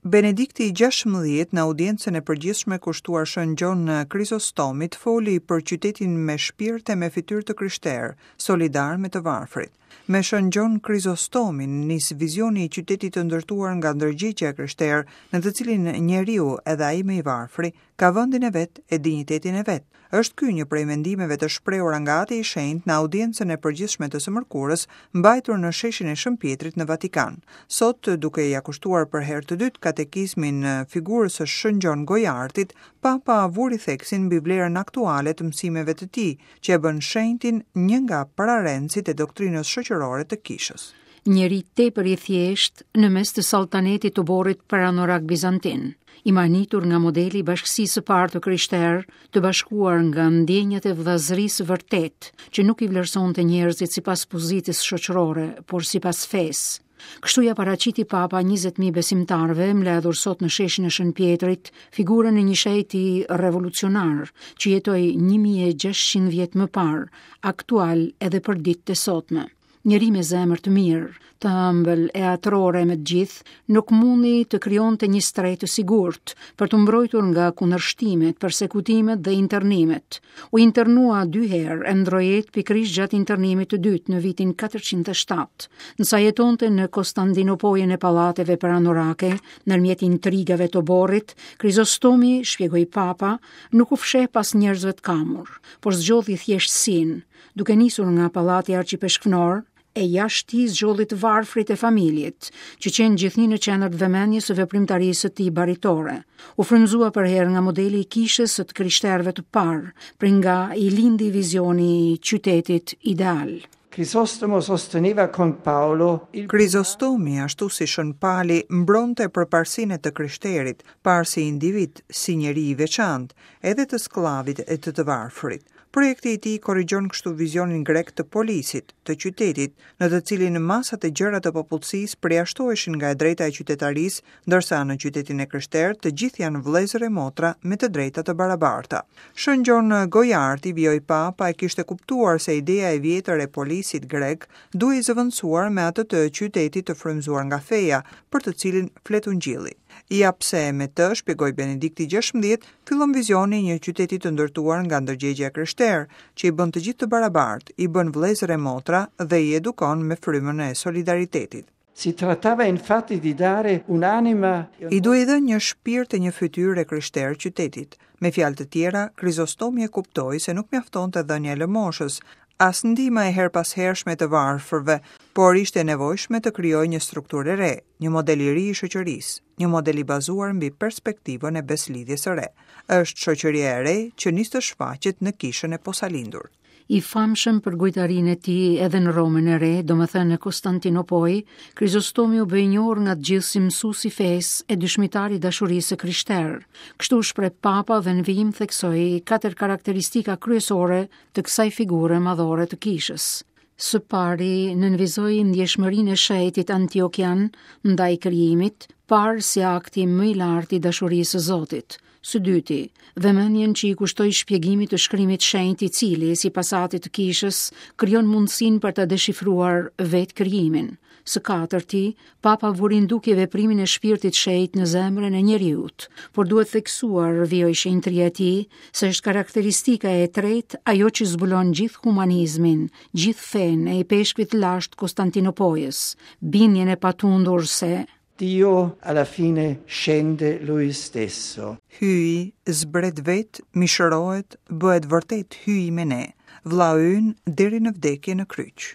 Benedikti i 16 në audiencën e përgjithshme kushtuar Shën Gjon Krizostomit foli për qytetin me shpirt e me fytyrë të krishterë, solidar me të varfrit. Me Shën Gjon Krizostomin nis vizioni i qytetit të ndërtuar nga ndërgjegjja e krishterë, në të cilin njeriu, edhe ai më i varfri, ka vendin e vet e dinjitetin e vet. Është ky një prej mendimeve të shprehura nga Ati i Shenjtë në audiencën e përgjithshme të së mërkurës, mbajtur në sheshin e Shën Pjetrit në Vatikan. Sot, duke ia kushtuar për herë të dytë katekizmin figurës së Shën Gjon Gojartit, Papa vuri theksin mbi vlerën aktuale të mësimeve të tij, që e bën shenjtin një nga pararendësit e doktrinës shoqërore të Kishës. Njeri tepër i thjeshtë në mes të salltanetit të oborrit perandorak bizantin, i mahnitur nga modeli i bashkësisë së parë të krishterë, të bashkuar nga ndjenjat e vëllazërisë së vërtetë, që nuk i vlerësonte njerëzit sipas pozitës shoqërore, por sipas fesë. Kështu ia paraqiti Papa 20.000 besimtarëve mbledhur sot në sheshin e Shën Pjetrit, figurën e një shenjti revolucionar që jetoi 1600 vjet më parë, aktual edhe për ditët e sotme. Njeri me zemër të mirë, të ëmbël e atërore me të gjithë, nuk mundi të krijonte një strehë të sigurt për t'u mbrojtur nga kundërshtimet, persekutimet dhe internimet. U internua dy herë e ndërroi jetë pikërisht gjatë internimit të dytë në vitin 407. Ndërsa jetonte në Kostandinopojën e pallateve perandorake, ndërmjet intrigave të oborrit, Krizostomi, shpjegoi Papa, nuk u fsheh pas njerëzve të kamur, por zgjodhi thjeshtësinë, duke nisur nga pallati arqipeshkvnor, e jashtë tij zgjodhi të varfrit e familjet, që qenë gjithnjë në qendër të vëmendjes së veprimtarisë së tij baritore. U frymëzua përherë nga modeli i kishës së të krishterëve të parë, prej nga i lindi vizioni i qytetit ideal. Crisostomo sosteneva con Paolo il Krizostomi, ashtu si Shën Pali, mbronte përparësinë e të krishterit, parë si individ, si njeri i veçantë, edhe të skllavit e të të varfrit. Projekti i tij korrigjon kështu vizionin grek të polisit, të qytetit, në të cilin masat e gjera të popullsisë përjashtoheshin nga e drejta e qytetarisë, ndërsa në qytetin e krishterë të gjithë janë vëllezër e motra me të drejta të barabarta. Shën Gjon Gojarti, vijoi Papa, e kishte kuptuar se ideja e vjetër e polisit grek duhej zëvendësuar me atë të qytetit të frymëzuar nga feja, për të cilin flet Ungjilli. Ja pse me të, shpjegoi Benedikti 16, Fillon vizioni i një qyteti të ndërtuar nga ndërgjegjja e krishterë, që i bën të gjithë të barabartë, i bën vëllezër e motra dhe i edukon me frymën e solidaritetit. Si trattava infatti di dare un'anima I duhej dhënë një shpirt e një fytyrë e krishterë qytetit. Me fjalë të tjera, Krizostomi e kuptoi se nuk mjaftonte dhënia e lëmoshës, as ndihma e herëpashershme e të varfërve, por ishte e nevojshme të krijohej një strukturë e re, një model i ri i shoqërisë, një model i bazuar mbi perspektivën e besëlidhjes së re. Është shoqëria e re që nis të shfaqet në kishën e posalindur. I famshëm për gojtarinë e tij edhe në Romën e Re, domethënë në Konstantinopojë, Krizostomi u bë i njohur nga të gjithë si mësues i fesë e dëshmitar i dashurisë së krishterë. Kështu u shpreh Papa dhe në vijim theksoi katër karakteristika kryesore të kësaj figure madhore të kishës. Së pari, nënvizoi ndjeshmërinë e shenjtit antiokian ndaj krijimit, parë si akti më i lartë i dashurisë së Zotit. Së dyti, vëmendjen që i kushtoi shpjegimit të shkrimit të shenjtë i cili, sipas atit të kishës, krijon mundësinë për të deshifruar vetë krijimin. Së katërti, Papa vuri në dukje veprimin e Shpirtit Shenjt në zemrën e njeriut, por duhet theksuar, vijoi shenjtëria e tij, se është karakteristika e tretë ajo që zbulon gjithë humanizmin, gjithë fenë e ipeshkvit të lashtë Konstantinopojës, bindjen e patundur se Dio alla fine scende lui stesso. Hyji zbret vetë, mishërohet, bëhet vërtet Hyji me ne, vllau ynë deri në vdekje në kryq.